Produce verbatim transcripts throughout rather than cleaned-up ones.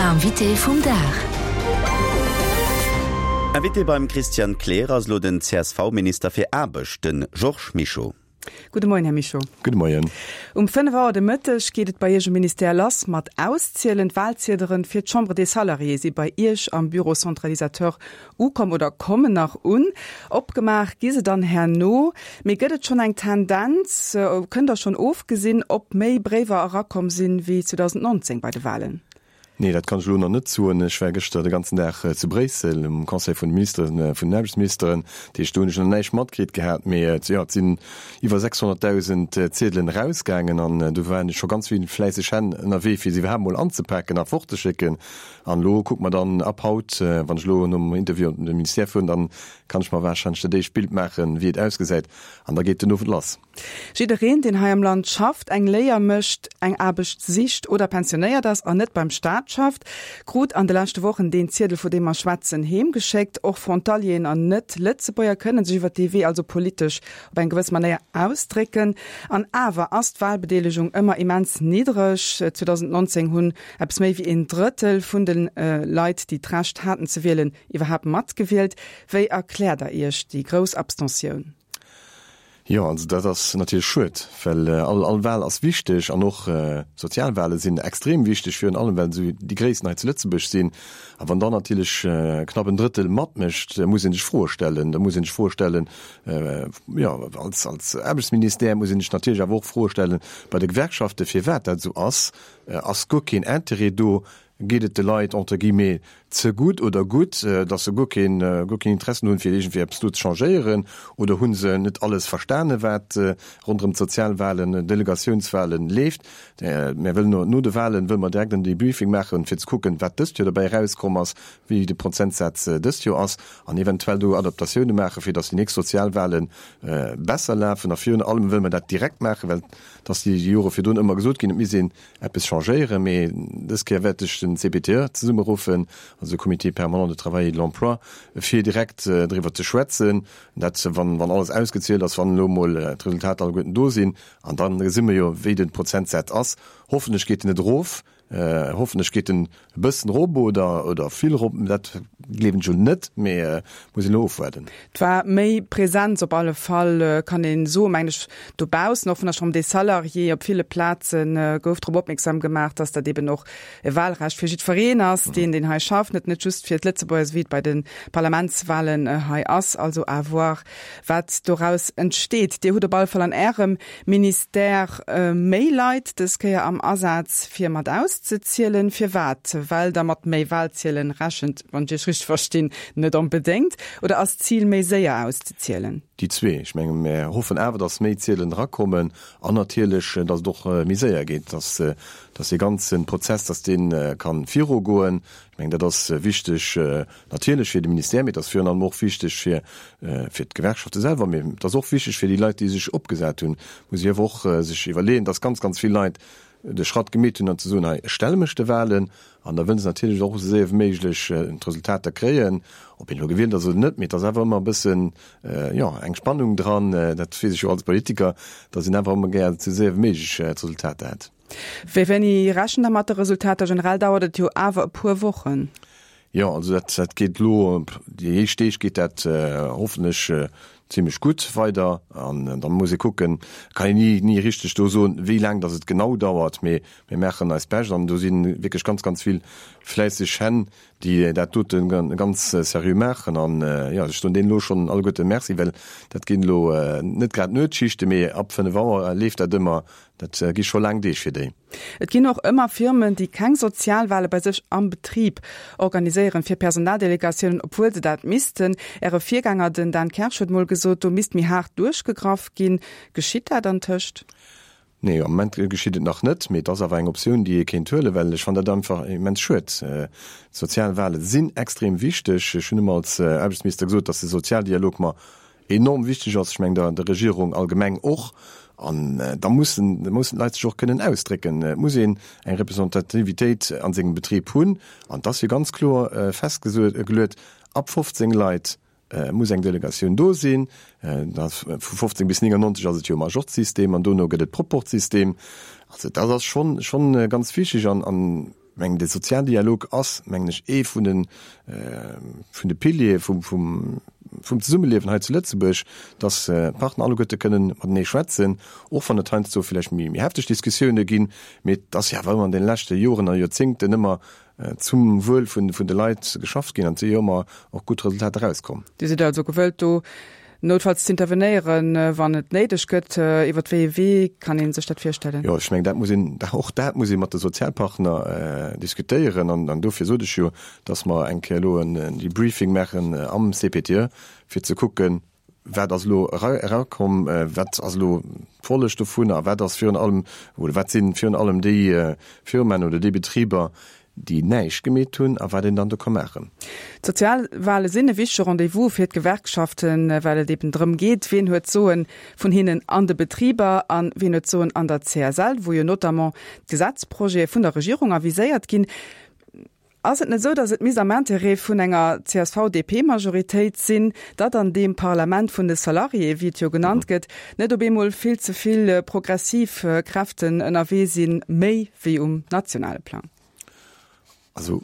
Invité vum Dag. Invité beim Christian Kleer ass elo den C S V-Minister fir Aarbecht, de Georges Mischo. Gudde Moien, Här Mischo. Gudde Moien. Um fënnef Auer de Mëtteg geet et bei Iech um Ministère lass mat Auszielen. D'Wahlziederen fir d'Chambre des Salariés si bei Iech am Bureau centralisateur ukomm oder kommen nach un. Opgemaach gi se dann herno. Mee gëtt et schonn eng Tendenz, kënnt Der schonn ofgesinn, ob méi Bréiwer erakomm sinn wéi zweedausendnonzéng bei de Wahlen? Nee, dat kann ech elo nach net soen. Ech war gëschter de ganzen Dag zu Bréissel um Conseil vun de Ministeren, vun den Aarbechtsministeren. Dat heescht, do hunn ech nach näischt matkritt gehat. Mee jo, et sinn iwwer sechshonnertdausend Ziedelen erausgaangen an do waren scho ganz vill fläisseg Hänn ënnerwee, fir se iwwerhaapt mol anzepaken a fortzeschécken. An elo kucke mer dann ab haut, wann ech elo nom Interview op de Ministère fueren, dann kann ech mer warscheinlech dat éischt Bild maachen, wéi et ausgesäit. An da geet den Owend lass. Jiddereen, deen hei am Land schafft, eng Léier mécht, eng Aarbecht sicht oder pensionéiert ass an net beim Staat schafft, krut an de leschte Wochen deen Ziedel, vu deem mer schwätzen, heemgeschéckt. Och Frontalieren an Net-Lëtzebuerger kënnen sech iwwer dee Wee also politesch op eng gewëss Manéier ausdrécken. An awer ass d'Wahlbedeelegung ëmmer immens niddreg. zweedausendnonzéng hunn eppes méi wéi een Drëttel vun de Leit, déi d'Recht haten ze wielen, iwwerhaapt matgewielt. Wéi erkläert Der Iech déi grouss Abstentioun? Jo, also dat ass natierlech schued, well all all Wahl ass wichteg an och Sozialwahle sinn extrem wichteg, virun allem well se déi gréissten hei zu Lëtzebuerg sinn. A wann dann natierlech knapp en Drëttel matmécht, muss ee sech Froe stellen. Da muss ee sech Froe stellen, jo, als als Aarbechtsministère muss ee sech natierlech awer och Froe stellen bei de Gewerkschaften, firwat dat esou ass. Ass guer keen Interêt do? Geet et de Leit entre guillemets ze gutt oder gutt, datt se guer keen, guer keen Interessen hunn, fir iergendwéi eppes do ze changéieren? Oder hu se net alles verstane wat ronderëm d'Sozialwahlen, Delegatiounswahlen leeft? Mir wëllen no, no de Wahlen wëlle mer direkt en Debriefing maachen, fir ze kucken, wat dëst Joer dobäi erauskomm ass, wéi de Prozentsaz dëst Joer ass an eventuell do Adaptatioune maachen, fir datt déi nächst Sozialwahlen besser lafen. A virun allem wëlle mer dat direkt maachen, well et ass déi Jore virdrun ëmmer gesot ginn, et misst een eppes changéieren, mee dës Kéier wäert ech den C P T E zesummeruffen, also de Comité permanent de travail et de l'emploi, fir direkt driwwer ze schwätzen, dat wann, wann alles ausgezielt ass, wann elo mol d'Resultater alleguerten do sinn, an dann gesi mer jo, wéi de Prozentsaz ass. Hoffentlech geet en net erof, hoffentlech geet en e bëssen erop oder, oder vill erop, dat gleewen ech elo net, mee muss een elo ofwaarden. Et war méi Präsenz op alle Fall, kann een soen, mengen ech, dobaussen, och vun der Chambre des Salariés op ville Plazen gouf drop opmierksam gemaach, dass dat eben och e Wahlrecht fir jiddwereen ass, deen deen hei schafft, net net just fir d'Lëtzebuerger, wéi et bei de Parlamentswahlen hei ass. Also à voir, wat doraus entsteet. Dir hutt op alle Fall an Ärem Ministère méi Leit dës Kéier am Asaz fir mat auszezielen. Firwat? Well Der mat méi Wahlziedelen rechent, wann ech Iech richteg verstinn, net onbedéngt? Oder ass d'Zil méi séier auszezielen? Déi zwee. Ech menge mir hoffen awer, datt méi Ziedelen erakommen an natierlech, datt et och méi séier geet, datt datt dee ganze Prozess, datt dee ka virugoen. Ech mengen, dat ass wichteg natierlech fir de Ministère, mee et ass virun allem och wichteg fir fir d'Gewerkschafte selwer, mee et ass och wichteg fir déi Leit, déi sech opgesat hunn. Muss ee awer och sech iwwerleeën, datt ganz, ganz vill Leit de Schratt gemeet hunn an ze soen, hei, ech stelle mech de Wahlen, an da wëllen se natierlech och esou séier wéi méiglech d'Resultater kréien, ob een elo gewielt ass oder net, mee et ass awer ëmmer e bëssen, jo, eng Spannung dran, dat weess ech jo als Politiker, datt een awer ëmmer gär esou séier wéi méiglech d'Resultater hätt. Wéi wéini rechent Der mat de Resultater? Generell dauert et jo awer e puer Wochen. Jo, also dat, dat geet elo, déi éischt Deeg geet dat hoffentlech zimmlech gutt weider an da muss ee kucken, kann een ni, ni richteg do soen, wéi laang datt et genau dauert, mee mir maachen eist Bescht an do si wierklech ganz, ganz vill fläisseg Hänn, déi dat dote ganz seriö maachen an jo, ech soen deenen elo schonn alleguerte Merci, well dat ginn elo net grad Nuetsschichte, mee ab fënnef Auer leeft dat ëmmer, dat gi scho laang Deeg fir déi. Et ginn och ëmmer Firmen, déi keng Sozialwale bei sech am Betrib organiséieren fir Personaldelegatiounen, obwuel se dat missten. Äre Virgänger, den Dan Kersch, huet mol gesot, do misst méi haart duerchgegraff ginn. Geschitt dat antëscht? Nee, am Moment geschitt et nach net, mee et ass awer eng Optioun, déi ee kéint huelen, well ech fannen dat einfach immens schued. D'Sozialwale sinn extrem wichteg. Ech hunn ëmmer als Aarbechtsminister gesot, datt de Sozialdialog mer enorm wichteg ass, ech mengen der der Regierung allgemeng och. An da mussen, da mussen d'Leit sech och kënnen ausdrécken. Et muss een eng Representativitéit a sengem Betrib hunn. An et ass jo ganz kloer festgeluet, ab fofzéng Leit muss eng Delegatioun do sinn. Vu fofzéng bis néngannonzeg ass et jo Majorzsystem an dono gëtt et Proportsystem. Also dat ass schonn, schonn ganz wichteg an, an mengen, de Sozialdialog ass, mengen ech, ee vun den, vun de Piliere vum, vum, vum Zesummeliewen hei zu Lëtzebuerg, dass d'Partner alleguerte kënnen matenee schwätzen, och wann et heiansdo vläicht méi, méi hefteg Diskussioune ginn, mee et ass jo awer ëmmer an deene leschte Joren a Joerzéngten ëmmer zum Wuel vun, vun de Leit geschafft ginn an et si jo ëmmer och gutt Resultater erauskomm. Dir sidd also gewëllt do noutfalls z'intervenéieren, wann et néideg gëtt. Iwwer wéi ee Wee kann ee sech dat virstellen? Jo, ech mengen, dat muss een, och dat muss ee mat de Sozialpartner diskutéieren. An dofir sot ech jo, datt mer eng Kéier elo en Debriefing maachen am C P T E, fir ze kucken, wat ass elo erakomm, wat ass elo d'Folleg dovun a wat ass virun allem, oder wat si virun allem déi Firmaen oder déi Betriber, déi näischt gemeet hunn a wat een dann do ka maachen. D'Sozialwale sinn e wichtege Rendez-vous fir d'Gewerkschaften, well et eben drëm geet, wien huet d'Soen vun hinnen an de Betriber a wien huet d'Soen an der C S L, wou jo notamment d'Gesetzprojete vun der Regierung aviséiert ginn. Ass et net esou, datt et misst am Intérêt vun enger C S V D P-Majoritéit sinn, datt an deem Parlament vun de Salariéë, wéi et jo genannt gëtt, net op eemol vill ze vill progressiv Kräften ënnerwee sinn, méi wéi um nationale Plang? Also,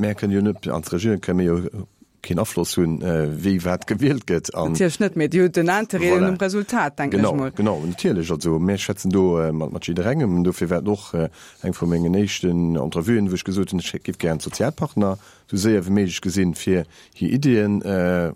mär kënnen jo net, als Regierung kënnen mir jo keen Afloss hunn, wéi wat gewielt gëtt. An Natierlech net, mee Dir hutt den Interêt Voilà. um Resultat, denken ech Genau, mol. genau, natierlech. Also, mär schwätzen do mat, mat jidderengem. Dofir war et och eng vu mengen éischten Entrevuen, wou ech gesot hunn, ech géif gären d'Sozialpartner esou séier wéi méiglech gesinn, fir hir Iddien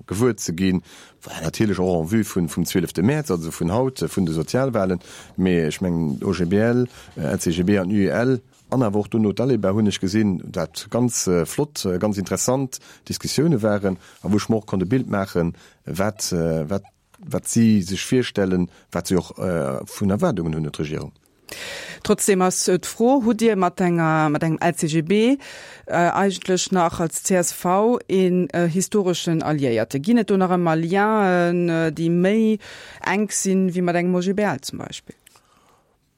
gewuer ze ginn. Voilà, natierlech och en vue vun, vum zwielefte Mäerz, also vun haut, vun de Sozialwahlen. Mee ech mengen, O G B L, L C G B an U E L, an awer och dono d'Aleba hunn ech gesinn, dat ganz flott, ganz interessant Diskussioune waren a wou ech mer och konnt e Bild maachen, wat, wat, wat si sech virstellen, wat si och vun Erwaardungen hunn un d'Regierung. Trotzdem ass d'Fro, hutt Dir mat enger, mat engem L C G B eigentlech nach als C S V een historeschen Alliéierte? Ginn et do nach ëmmer Lienen, déi méi enk sinn wéi mat engem O G B L zum Beispill?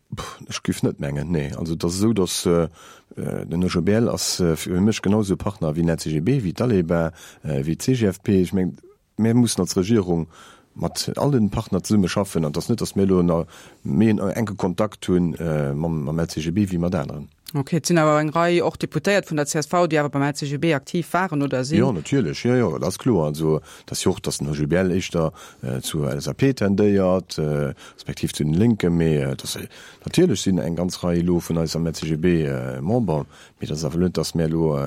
Pff, ech géif net mengen, nee. Also et ass esou, datt den O G B L ass fir mech genauso e Partner wéi den L C G B, wéi d'Aleba, wéi d'C G F P. Ech mengen, mir mussen als Regierung mat all den Partner zesumme schaffen an et ass net, datt mir elo nach méi en enke Kontakt hunn mam, mam L C G B wéi mat aneren. Okay, et sinn awer eng Rei och Deputéiert vun der C S V, déi awer beim L C G B aktiv waren oder sinn. Jo, natierlech, jo, jo, dat ass kloer. Also, dat ass jo och, datt den O G B L éischter zur L S A P tendéiert, respektiv zu den Lénken, mee dat ass, natierlech sinn eng ganz Rei elo vun eis am L C G B Member, mee dat ass awer net, datt mir elo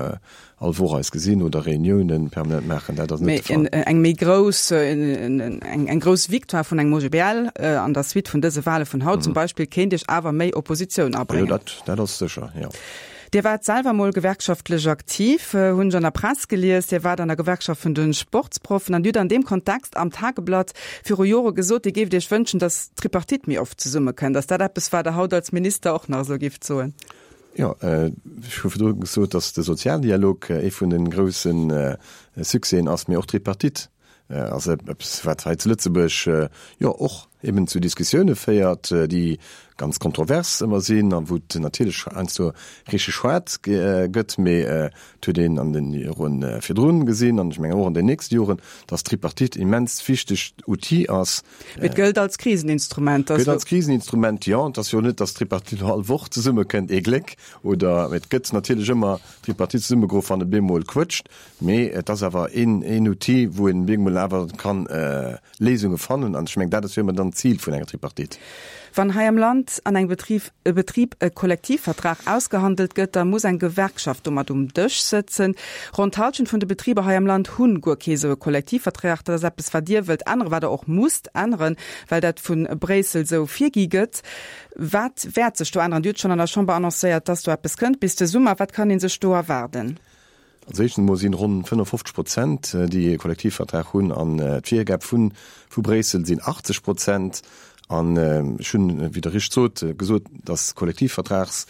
all Woch eis gesinn oder Reuniounen permanent maachen, dat ass net Mee de Fall. en, eng méi grouss, en, en, eng, eng grouss Victoire vun engem O G B L an der Suite vun dëse Wale vun haut zum Beispill kéint Iech awer méi Oppositioun abréngen. Jo, dat, dat ass sécher, jo. Dir waart selwer mol gewerkschaftlech aktiv, hunn ech an der Press gelies. Dir waart an der Gewerkschaft vun den Sportsproffen an dir hutt an deem Kontext am Tageblatt viru Jore gesot, Dir géift Iech wënschen, datt d'Tripartite méi oft zesummekënnt. Ass dat eppes, wat Der haut als Minister och nach esou géift soen? Jo, ech hu virdru gesot, datt de Sozialdialog ee vun den groussen Succèsen ass, mee och d'Tripartite ass eppes, wat hei zu Lëtzebuerg jo och eben zu Diskussioune féiert, déi ganz kontrovers ëmmer sinn an wou et natierlech heiansdo richteg schwaart gëtt, mee et huet een an den Joren virdrun gesinn an ech mengen och an den nächsten Joren, datt d'Tripartite immens wichtegt Outil ass. Mee et gëllt als Kriseninstrument, Gëllt als Kriseninstrument, jo. Et ass jo net, datt d'Tripartite all Woch zesummekënnt, ee Gléck, oder et gëtt natierlech ëmmer d'Tripartite zesummegeruff, wann et bemol quëtscht, mee et ass awer een, een Outil, wou een bemol awer kann Léisunge fannen an ech mengen, dat ass jo ëmmer dann d'Zil vun enger Tripartite. Wann hei am Land an engem Betrieb, e Betrib e Kollektivvertrag ausgehandelt gëtt, da muss eng Gewerkschaft domat um Dësch sëtzen. Ronn d'Hallschent vun de Betriber hei am Land hunn guer kee sou e Kollektivvertrag. Dat ass eppes, wat Dir wëllt änneren, wat Der och musst änneren, well dat vun Bréissel sou virgi gëtt. Wat wäert sech do änneren? Dir hutt schonn an der Chamber annoncéiert, dass do eppes kënnt bis de Summer. Wat kann een sech do erwaarden? Als éischten emol sinn ronn fënnefofzeg Prozent, déi e Kollektivvertrag hunn, an d'Virgab vun, vu Bréissel sinn achtzeg Prozent. An ech hunn, wéi Der richteg sot, gesot, dass Kollektivvertrags,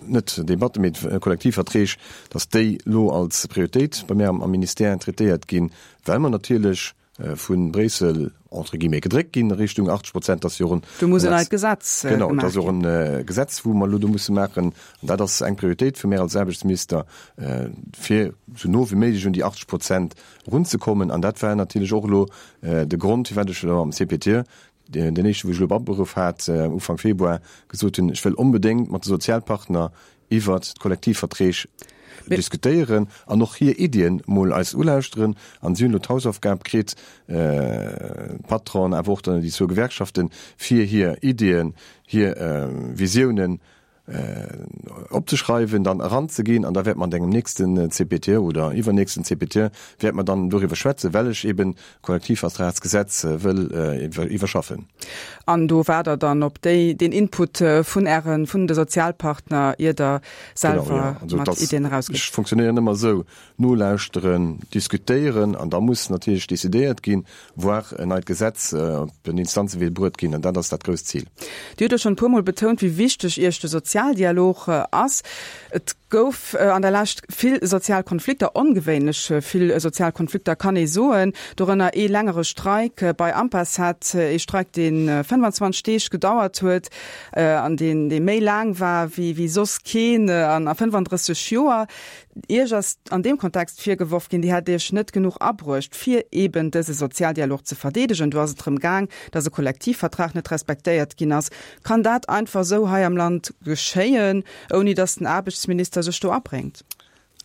net Debatte, mee Kollektivverträg, dass déi elo als Prioritéit bei mir am, am Ministère traitéiert ginn, well mer natierlech vun Bréissel entre guillemets gedréckt ginn Richtung achtzeg Prozent, dass jo och en Do muss en neit Gesetz Genau, gemaach dat ass och ginn. en Gesetz, wou mer elo do musse maachen. An dat ass eng Prioritéit fir mir als Aarbechtsminister, fir sou no wéi méiglech un déi achtzeg Prozent erunzekommen. An dat war natierlech och elo de Grond, firwat ech elo am C P T den éischten, wou ech elo aberuff hat Ufank Februar, gesot hunn, ech wëll onbedéngt mat de Sozialpartner iwwert d'Kollektivverträg diskutéieren an och hir Iddien mol eis ulauschteren. An si hunn elo d'Hausaufgab kritt, d'Patronen, awer och dann déi zwou Gewerkschaften, fir hir Iddien, hir Visiounen opzeschreiwen, dann eranzeginn an da wäerte mer an engem nächsten C P T oder iwwernächsten C P T wäerte mer dann doriwwer schwätzen, well ech eben d'Kollektivvertragsgesetz wëll iwwerschaffen. An do waart Der dann op déi, deen Input vun Ären, vun de Sozialpartner, ier Der selwer mat Iddien erausgitt? Ech funktionéieren ëmmer esou, nolauschteren, diskutéieren an da muss natierlech decidéiert ginn, voire en neit Gesetz op den Instanzewee bruet ginn an dat ass dat grousst Zil. Dir hutt jo schonn e puermol betount, wéi wichteg Iech de Sozialdialog ass. Et gouf an der Lescht vill sozial Konflikter, ongewéinlech vill sozial Konflikter kann ee soen, dorënner ee längere Streik bei Ampacet, ee Streik, dee fënnfanzwanzeg Deeg gedauert huet an deen, dee méi laang war wéi, wéi soss keen an a fënnfanddrësseg Joer. Iech ass an deem Kontext virgeworf ginn, Dir hätt Iech net genuch abruecht, fir eeben dëse Sozialdialog ze verdeedegen. Do ass et drëm gaang, datt e Kollektivvertrag net respektéiert ginn ass. Kann dat einfach esou hei am Land geschéien, ouni datt den Aarbechtsminister sech do abréngt?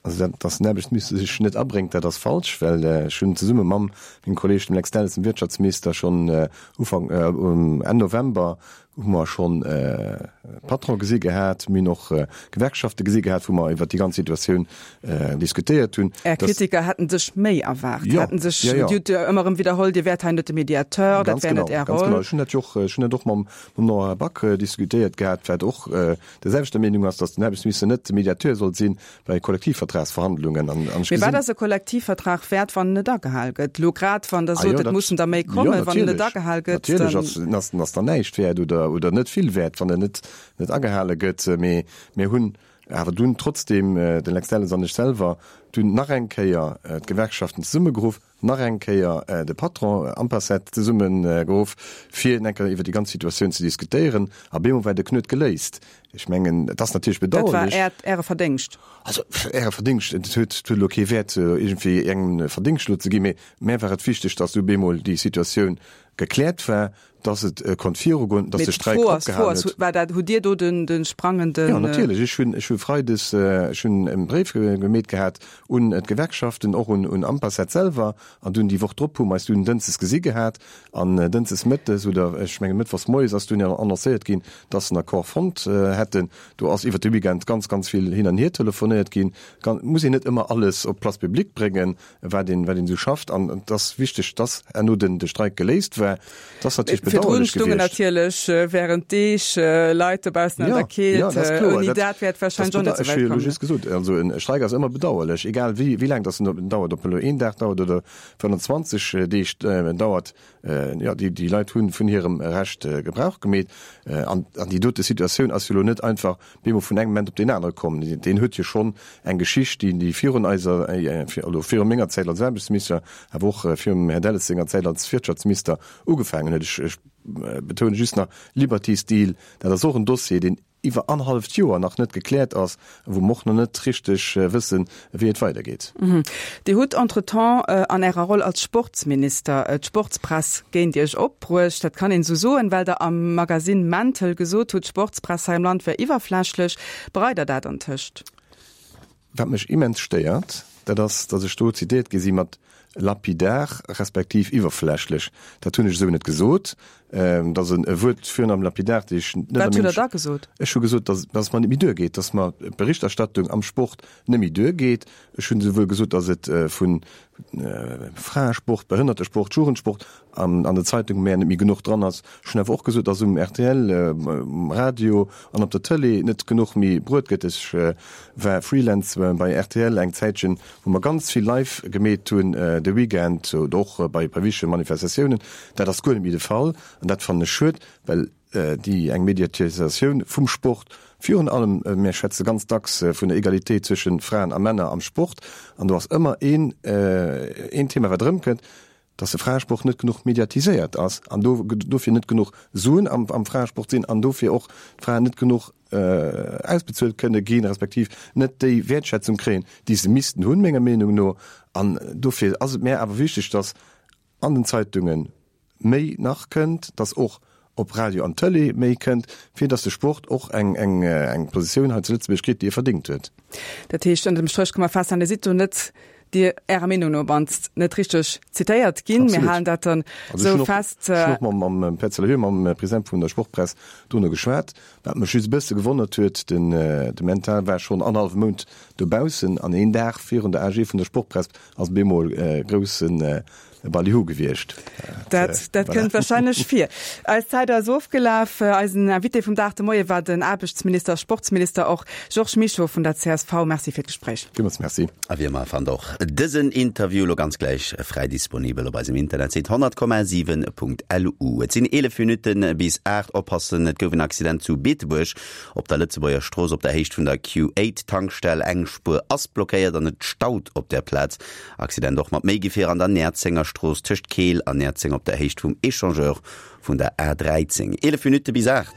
Also dat, datt den Aarbechtsminister sech net abréngt, dat ass falsch, well ech hunn zesumme mam mengem Kolleeg, dem Lex Delles, dem Wirtschaftsminister, schonn Ufank, Enn November hu mer schonn Patron gesi gehat, mir hunn och Gewerkschafte gesi gehat, wou mer iwwert déi ganz Situatioun diskutéiert hunn. Är Kritiker hätten sech méi erwaart, hätten sech, Dir hutt jo ëmmer erëm widderholl, Dir wäert hei net de Mediateur, dat wär net Är Roll. Ganz genau. Ech hunn dat jo och, ech hunn dat och mam Nora Back diskutéiert gehat, wat och der selwechter Meenung ass, datt den Aarbechtsminister net de Mediateur sollt sinn bei Kollektivvertragsverhandlungen. An ech Mee wat ass e Kollektivvertrag wäert, wann en net agehal gëtt? Elo grad, wann Der sot, et mussen der méi kommen, wann en net agehal gëtt, dann. Natierlech ass, ass dann näischt wäert oder, oder net vill wäert, wann en net, net agehale gëtt. Mee mir hunn awer dunn trotzdeem, de Lex Delles an ech selwer, dunn nach eng Kéier d'Gewerkschaften zesummegeruff, nach eng Kéier de Patron Ampacet zesummegeruff, fir eng Kéier iwwer déi ganz Situatioun ze diskutéieren. A bemol war de Knuet geléist. Ech mengen, et ass natierlech bedauerlech. Dat war Äert, Äre Verdéngscht. Also, Äre Verdéngscht, et huet, et huet elo kee Wäert, iergendwéi engem Verdéngscht elo ze ginn, mee mär war et wichteg, datt du bemol déi Situatioun gekläert war, datt et konnt virugoen, datt de Streik opgehalen huet. War dat, hutt Dir do den, de sprangenden. Jo, natierlech. Ech hunn, ech hu freides, ech hunn e Bréif gemeet gehat un d'Gewerkschaften, och un, un Ampacet selwer, an dunn déi Woch drop hu mer eis dunn dënschdes gesi gehat, an dënschdes mëttes oder ech mengen mëttwochs moies ass dunn annoncéiert ginn, datt se en Accord fonnt hätten. Do ass iwwert de Weekend ganz, ganz vill hin an hier telefonéiert ginn. Et muss een net ëmmer alles op d'Place publique bréngen, wat een, wat een esou schafft. An et ass wichteg, dass herno den, de Streik geléist war. Et ass natierlech Virdrun bedauerlech stungen gewiescht. natierlech während Deeg Leit dobaussen an Ja, der Keelt. ja, dat ass kloer. Ouni Dat, dat wär et dat warscheinlech och net ech esou hu wäit jo elo komm. just gesot, also en Streik ass ëmmer bedauerlech, egal wéi, wéi laang dass en dauert, ob en elo een Dag dauert oder fënnfanzwanzeg Deeg dauert. Jo, déi, déi Leit hu vun hirem Recht Gebrauch gemeet. An, an déi dote Situatioun ass jo elo net einfach bemol vun engem Moment op deen anere komm. Deen huet jo schonn eng Geschicht, déi, déi virun eiser, also viru menger Zäit als Aarbechtsminister, awer och virum Här Delles senger Zäit als Wirtschaftsminister ugefaangen huet. Ech, ech betoune just nach Liberty Steel, dat ass och en Dossier, deen iwwer annerhalleft Joer nach net gekläert ass a wou mer och nach net richteg wëssen, wéi et weidergeet. Dir hutt entretemps an Ärer Roll als Sportsminister d'Sportspress géint Iech opbruecht. Dat kann een esou soen, well Der am Magasinn Mental gesot hutt, d'Sportspress hei am Land wär iwwerflächlech. Bereit Der dat antëscht? Wat mech immens stéiert, dat ass, datt ech do zitéiert gi si mat lapidar respektiv iwwerflächlech. Dat hunn ech esou net gesot. Dat ass e Wuert virun allem lapidar, déi ech net Wat hutt Der da gesot? Ech hu gesot, datt datt et mer net méi duergeet, datt mer d'Berichterstattung am Sport net méi duergeet. Ech hunn esouwuel gesot, datt et vu Fraesport, Behënnertesport, Jugendsport an an der Zeitung mär net méi genuch dran ass. Ech hunn awer och gesot, datt um rtl, um Radio an op der Tëlee net genuch méi bruet gëtt. Ech war Freelance bei rtl eng Zäitchen, wou mer ganz vill live gemeet hunn de Weekend oder och bei bei wichtege Manifestatiounen. Dat ass guer net méi de Fall an dat fannen ech schued, well déi eng Mediatisatioun vum Sport, virun allem, mir schwätze ganz dacks vun der Egalitéit zwësche Fraen a Männer am Sport, an do ass ëmmer een een Thema wat erëmkënnt, dass de Fraesport net genuch mediatiséiert ass an do dofir net genuch Suen am am Fraesport sinn an dofir och d'Fraen net genuch ausbezuelt kënne ginn, respektiv net déi Wäertschätzung kréien, déi se missten hunn, menger Meenung no. An dofir ass et mär awer wichteg, dass an den Zeitungen méi nach kënnt, dass och op Radio an Tëlee méi kënnt, fir dass de Sport och eng, eng, eng Positioun hei zu Lëtzebuerg kritt, déi e verdéngt huet. Dat heescht, ënner dem Stréch ka mer festhalen, Dir sidd do net, Dir, Ärer Meenung no op mannst, net richteg zitéiert ginn. Mir halen dat dann esou fest. Also ech hunn och mam, mam Petz Lehue, mam President vun der Sportpress, dono geschwat. Wat mech just e bësse gewonnert huet, den, de Mental war schonn annerhallwe Mount dobaussen an een Dag virun der A G vun der Sportpress ass bemol e groussen Ballyhoo gewiescht. Dat, dat kënnt wahrscheinlech vir. Eis Zäit ass ofgelaf. Eisen Invité vum Dag de Moie war den Aarbechtsminister, Sportsminister och, Georges Mischo vun der C S V. Merci fir d'Gespréich. Villmools Merci. A wéi ëmmer fannt och dësen Interview lo ganz gläich fräi disponibel op eisem Internetsite honnert Komma siwen Punkt L U. Et sinn eelef Minutte bis aacht. Oppassen, et gouf en Accident zu Beetebuerg op der Lëtzebuerger Strooss op der Héicht vun der Q eight Tankstell. Eng Spuer ass blockéiert an et staut op der Plaz. Accident och mat méi Gefierer an der Näerzenger Strooss tëscht Keel an Näerzeng op der Héicht vum Echangeur vun der A dräizéng. Eelef Minutte bis aacht.